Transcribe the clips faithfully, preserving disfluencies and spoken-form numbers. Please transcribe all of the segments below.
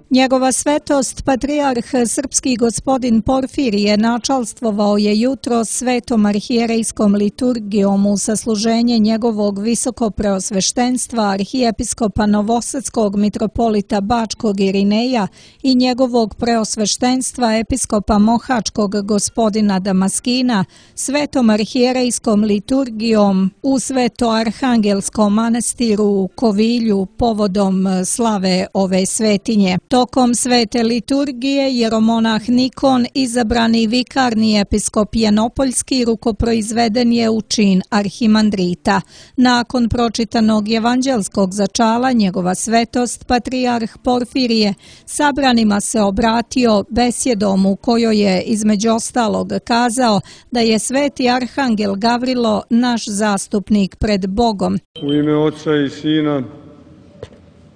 Njegova svetost, patrijarh srpski gospodin Porfirije, načalstvovao je jutro svetom arhijerejskom liturgijom u sasluženje njegovog visokopreosveštenstva arhijepiskopa Novosadskog mitropolita Bačkog Irineja i njegovog preosveštenstva episkopa Mohačkog gospodina Damaskina, svetom arhijerejskom liturgijom u Svetoarhangelskom manastiru u Kovilju povodom slave ove svetinje. Tokom svete liturgije jeromonah Nikon, izabrani vikarni episkop Janopoljski, rukoproizveden je u čin arhimandrita. Nakon pročitanog evanđelskog začala, njegova svetost, patrijarh Porfirije, sabranima se obratio besjedom u kojoj je između ostalog kazao da je sveti arhangel Gavrilo naš zastupnik pred Bogom. U ime Oca i Sina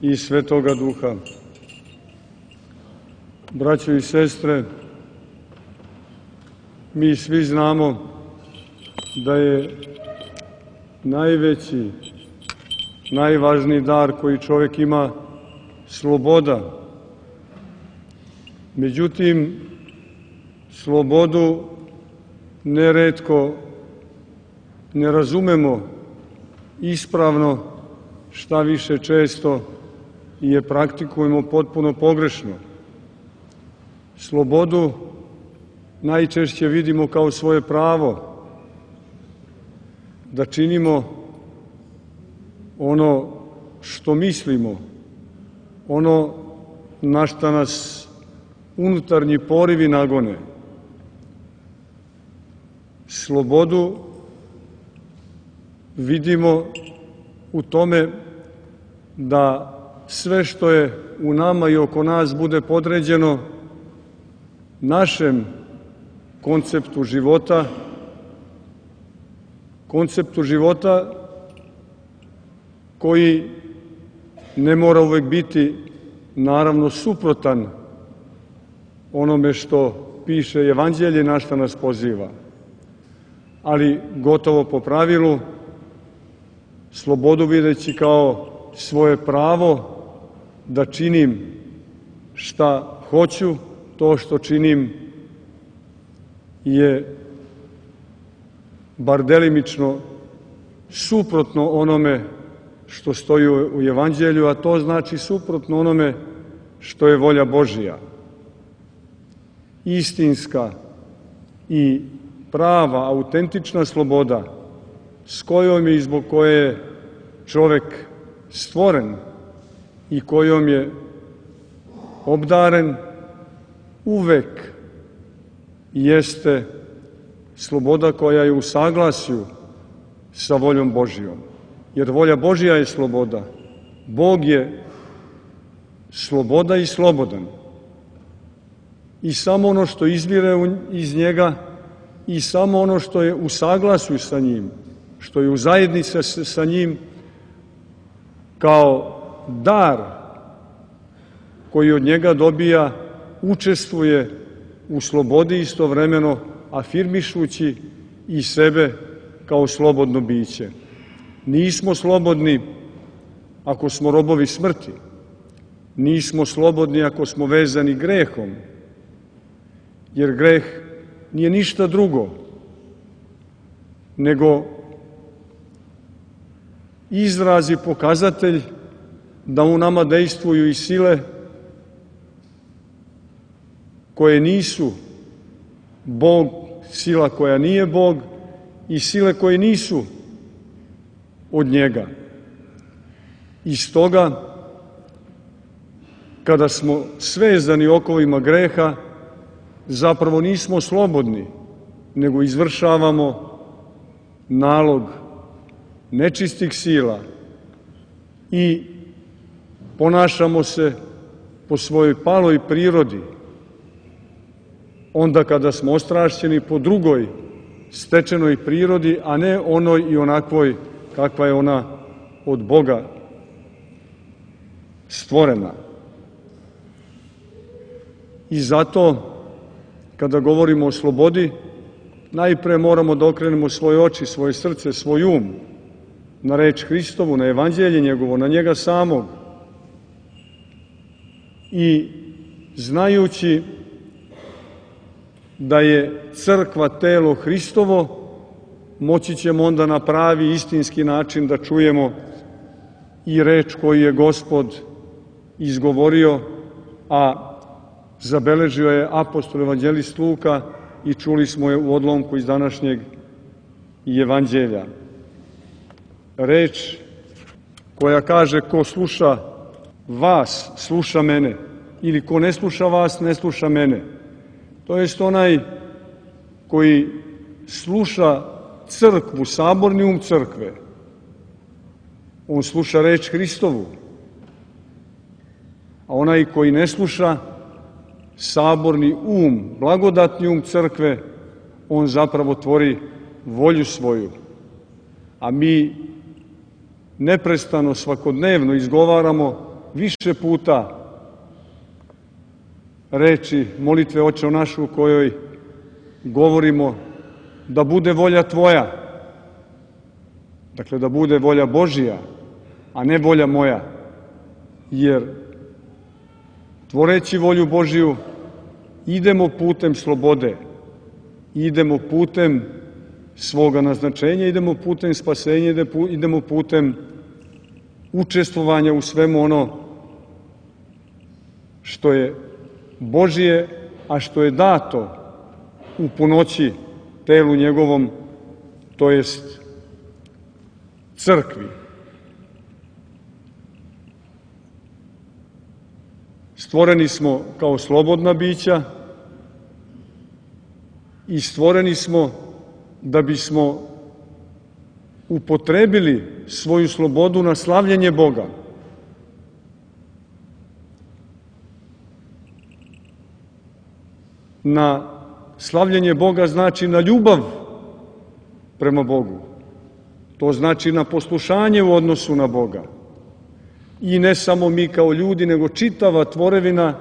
i Svetoga Duha. Braćo i sestre, mi svi znamo da je najveći, najvažniji dar koji čovjek ima sloboda. Međutim, slobodu neretko ne razumemo ispravno, šta više često je praktikujemo potpuno pogrešno. Slobodu najčešće vidimo kao svoje pravo da činimo ono što mislimo, ono na šta nas unutarnji porivi nagone. Slobodu vidimo u tome da sve što je u nama i oko nas bude podređeno našem konceptu života, konceptu života koji ne mora uvek biti naravno suprotan onome što piše Evanđelje, na šta nas poziva. Ali gotovo po pravilu, slobodu videći kao svoje pravo da činim šta hoću, to što činim je bar delimično suprotno onome što stoji u Evanđelju, a to znači suprotno onome što je volja Božija. Istinska i prava, autentična sloboda s kojom je i zbog koje je čovek stvoren i kojom je obdaren, uvek jeste sloboda koja je u saglasju sa voljom Božijom. Jer volja Božija je sloboda. Bog je sloboda i slobodan. I samo ono što izvire iz njega i samo ono što je u saglasju sa njim, što je u zajednici sa njim, kao dar koji od njega dobija, učestvuje u slobodi istovremeno, afirmišući i sebe kao slobodno biće. Nismo slobodni ako smo robovi smrti. Nismo slobodni ako smo vezani grehom, jer greh nije ništa drugo nego izraz i pokazatelj da u nama dejstvuju i sile koje nisu Bog, sila koja nije Bog i sile koje nisu od njega. I stoga, kada smo svezani okovima greha, zapravo nismo slobodni, nego izvršavamo nalog nečistih sila i ponašamo se po svojoj paloj prirodi, onda kada smo ostrašćeni po drugoj stečenoj prirodi, a ne onoj i onakvoj kakva je ona od Boga stvorena. I zato, kada govorimo o slobodi, najpre moramo da okrenemo svoje oči, svoje srce, svoj um na reč Hristovu, na Evanđelje njegovo, na njega samog, i znajući da je crkva telo Hristovo, moći ćemo onda na pravi istinski način da čujemo i reč koju je Gospod izgovorio, a zabeležio je apostol evanđelist Luka i čuli smo je u odlomku iz današnjeg evanđelja. Reč koja kaže: ko sluša vas, sluša mene, ili ko ne sluša vas, ne sluša mene. To jest onaj koji sluša crkvu, saborni um crkve, on sluša reč Hristovu, a onaj koji ne sluša saborni um, blagodatni um crkve, on zapravo tvori volju svoju. A mi neprestano, svakodnevno izgovaramo više puta reči molitve Oče naš, u kojoj govorimo da bude volja Tvoja. Dakle, da bude volja Božija, a ne volja moja. Jer tvoreći volju Božiju idemo putem slobode, idemo putem svoga naznačenja, idemo putem spasenja, idemo putem učestvovanja u svemu ono što je Božije, a što je dato u punoći telu njegovom, to jest crkvi. Stvoreni smo kao slobodna bića i stvoreni smo da bismo upotrebili svoju slobodu na slavljenje Boga. Na slavljenje Boga znači na ljubav prema Bogu. To znači na poslušanje u odnosu na Boga. I ne samo mi kao ljudi, nego čitava tvorevina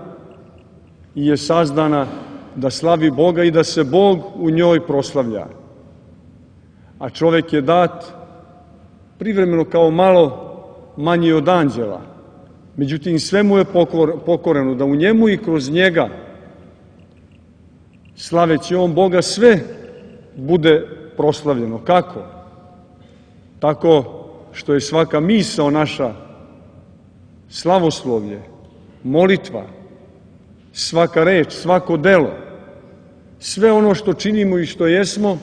je sazdana da slavi Boga i da se Bog u njoj proslavlja. A čovek je dat privremeno kao malo manji od anđela. Međutim, sve mu je pokoreno, da u njemu i kroz njega, slaveći on Boga, sve bude proslavljeno. Kako? Tako što je svaka misao naša slavoslovlje, molitva, svaka reč, svako delo, sve ono što činimo i što jesmo,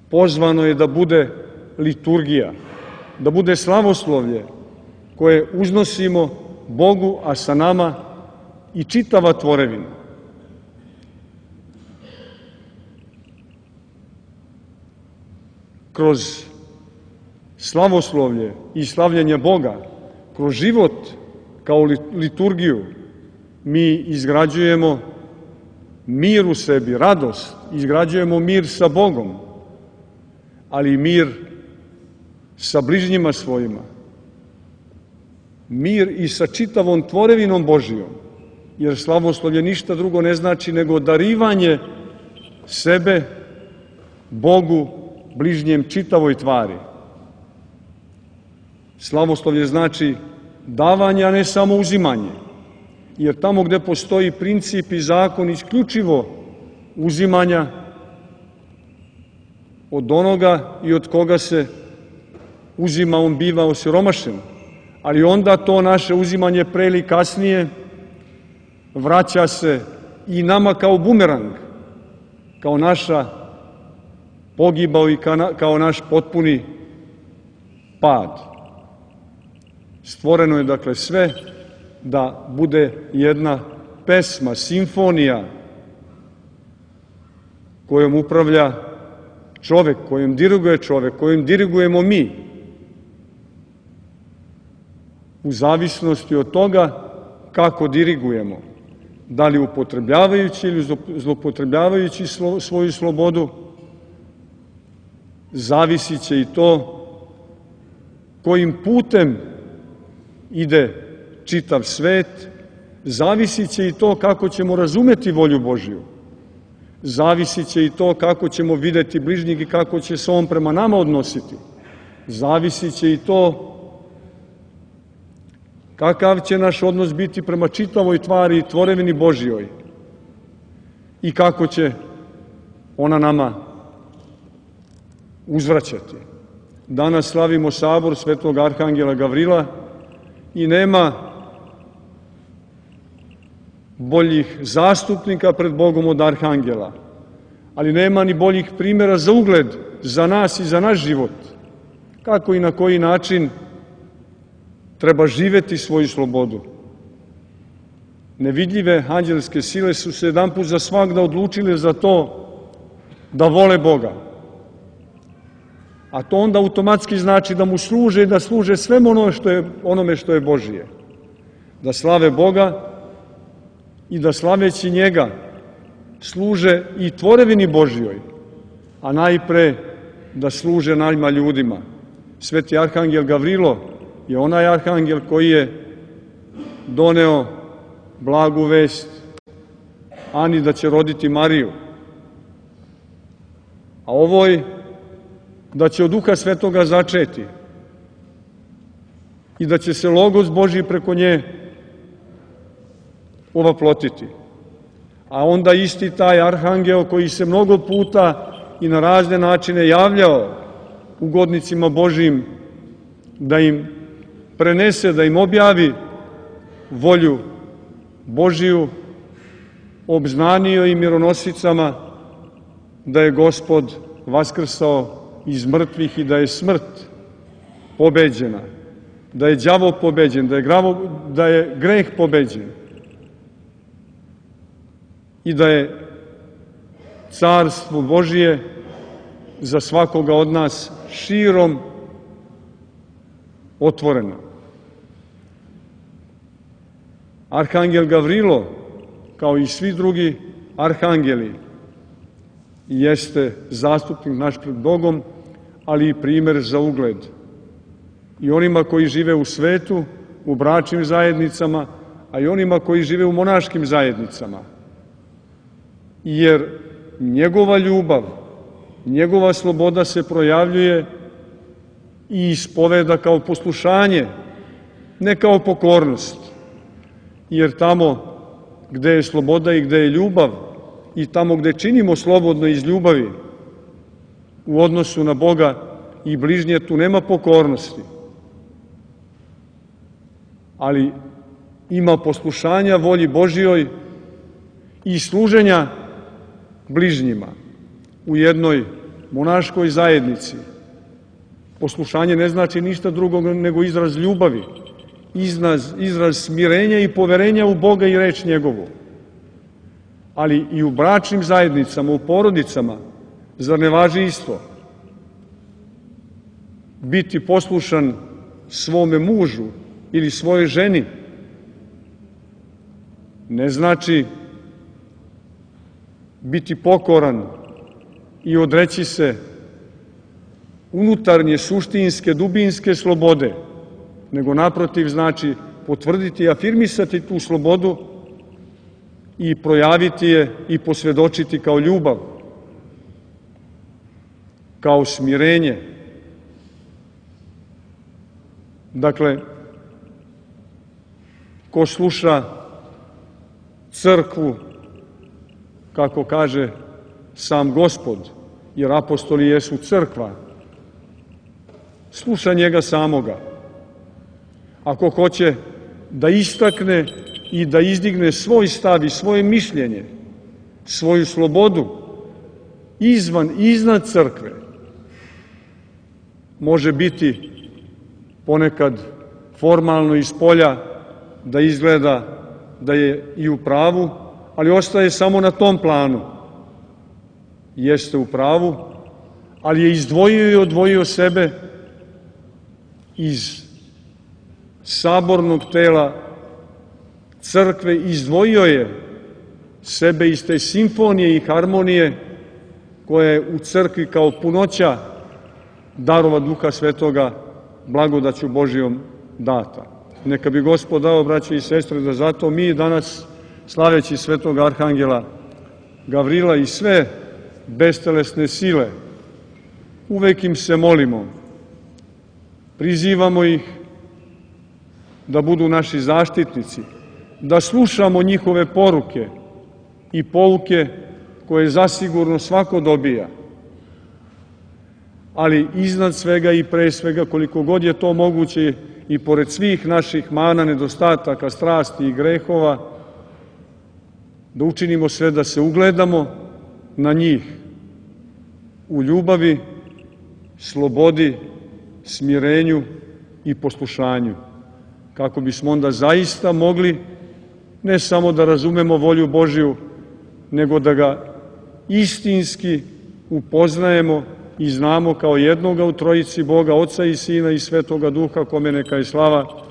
pozvano je da bude liturgija, da bude slavoslovlje koje uznosimo Bogu, a sa nama i čitava tvorevina. Kroz slavoslovlje i slavljenje Boga, kroz život kao liturgiju, mi izgrađujemo mir u sebi, radost, izgrađujemo mir sa Bogom, ali i mir sa bližnjima svojima. Mir i sa čitavom tvorevinom Božijom, jer slavoslovlje ništa drugo ne znači nego darivanje sebe Bogu, bližnjem, čitavoj tvari. Slavoslovlje znači davanje, a ne samo uzimanje. Jer tamo gde postoji princip i zakon isključivo uzimanja od onoga i od koga se uzima, on biva osiromašen. Ali onda to naše uzimanje pre ili kasnije vraća se i nama kao bumerang, kao naša pogibao i kao naš potpuni pad. Stvoreno je dakle sve da bude jedna pesma, simfonija kojom upravlja čovek, kojom diriguje čovek, kojom dirigujemo mi, u zavisnosti od toga kako dirigujemo, da li upotrebljavajući ili zloupotrebljavajući svoju slobodu, zavisit će i to kojim putem ide čitav svet, zavisit će i to kako ćemo razumeti volju Božiju, zavisit će i to kako ćemo videti bližnjeg i kako će se on prema nama odnositi, zavisit će i to kakav će naš odnos biti prema čitavoj tvari i tvorevini Božjoj i kako će ona nama uzvraćati. Danas slavimo sabor svetog arhangela Gavrila i nema boljih zastupnika pred Bogom od arhangela, ali nema ni boljih primjera za ugled za nas i za naš život, kako i na koji način treba živeti svoju slobodu. Nevidljive anđelske sile su se jedanput za svagda odlučile za to da vole Boga. A to onda automatski znači da mu služe i da služe svemu ono što je, onome što je Božije. Da slave Boga i da slaveći njega služe i tvorevini Božjoj, a najpre da služe najma ljudima. Sveti arhangel Gavrilo je onaj arhangel koji je doneo blagu vest Ani da će roditi Mariju. A ovoj da će od Duha Svetoga začeti i da će se Logos Božji preko nje ovaplotiti. A onda isti taj arhangel koji se mnogo puta i na razne načine javljao ugodnicima Božjim da im prenese, da im objavi volju Božiju, obznanio i mironosicama da je Gospod vaskrsao iz mrtvih i da je smrt pobeđena, da je đavo pobeđen, da je, gravo, da je greh pobeđen i da je carstvo Božije za svakoga od nas širom otvoreno. Arhangel Gavrilo, kao i svi drugi arhangeli, jeste zastupnik naš pred Bogom, ali i primer za ugled. I onima koji žive u svetu, u bračnim zajednicama, a i onima koji žive u monaškim zajednicama. Jer njegova ljubav, njegova sloboda se projavljuje i ispoveda kao poslušanje, ne kao pokornost. Jer tamo gde je sloboda i gde je ljubav i tamo gde činimo slobodno iz ljubavi u odnosu na Boga i bližnje, tu nema pokornosti. Ali ima poslušanja volji Božjoj i služenja bližnjima u jednoj monaškoj zajednici. Poslušanje ne znači ništa drugog nego izraz ljubavi, izraz, izraz smirenja i poverenja u Boga i reč njegovu. Ali i u bračnim zajednicama, u porodicama, zar ne važi isto? Biti poslušan svome mužu ili svojoj ženi ne znači biti pokoran i odreći se unutarnje, suštinske, dubinske slobode, nego naprotiv znači potvrditi i afirmisati tu slobodu i projaviti je i posvjedočiti kao ljubav, kao smirenje. Dakle, ko sluša crkvu, kako kaže sam Gospod, jer apostoli jesu crkva, sluša njega samoga. Ako hoće da istakne i da izdigne svoj stav i svoje mišljenje, svoju slobodu izvan i iznad crkve, može biti ponekad formalno iz polja da izgleda da je i u pravu, ali ostaje samo na tom planu. Jeste u pravu, ali je izdvojio i odvojio sebe iz sabornog tela crkve, izdvojio je sebe iz te simfonije i harmonije koja je u crkvi kao punoća darova Duha Svetoga blagodaću Božijom data. Neka bi Gospod dao, braće i sestre, da zato mi danas, slaveći svetog arhangela Gavrila i sve bestelesne sile, uvek im se molimo, prizivamo ih da budu naši zaštitnici, da slušamo njihove poruke i pouke koje zasigurno svako dobija. Ali iznad svega i pre svega, koliko god je to moguće, i pored svih naših mana, nedostataka, strasti i grehova, da učinimo sve da se ugledamo na njih u ljubavi, slobodi, smirenju i poslušanju, kako bismo onda zaista mogli ne samo da razumemo volju Božiju, nego da ga istinski upoznajemo i znamo kao jednoga u trojici Boga, Oca i Sina i Svetoga Duha, kome neka je slava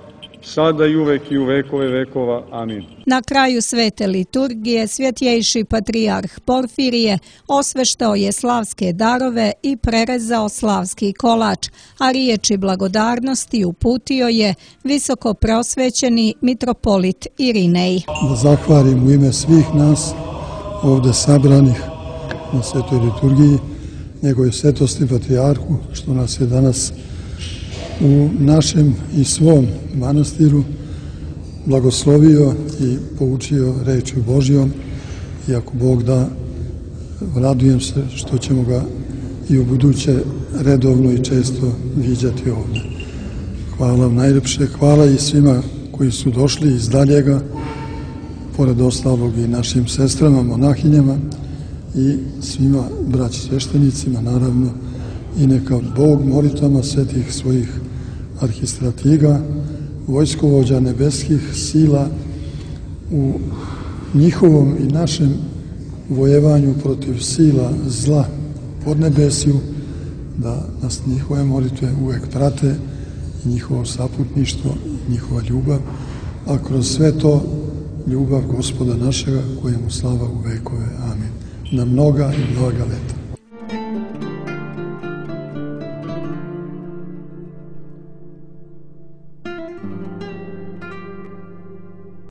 sada i uvek i u vekove vekova. Amin. Na kraju svete liturgije svjetjejši patrijarh Porfirije osveštao je slavske darove i prerezao slavski kolač, a riječi blagodarnosti uputio je visoko prosvećeni mitropolit Irinej. Da zahvalim u ime svih nas ovde sabranih na svetoj liturgiji njegove svetosti patrijarhu što nas je danas u našem i svom manastiru blagoslovio i poučio rečju Božjom, i ako Bog da, radujem se što ćemo ga i u buduće redovno i često viđati ovdje. Hvala vam najljepše, hvala i svima koji su došli iz daljega, pored ostalog i našim sestrama, monahinjama i svima braći sveštenicima, naravno, i neka Bog molitvama svetih svojih arhistratiga, vojskovođa nebeskih sila u njihovom i našem vojevanju protiv sila zla pod nebesiju, da nas njihove molitve uvek prate i njihovo saputništvo i njihova ljubav, a kroz sve to ljubav Gospoda našega, kojemu slava u vekove. Amin. Na mnoga i mnoga leta.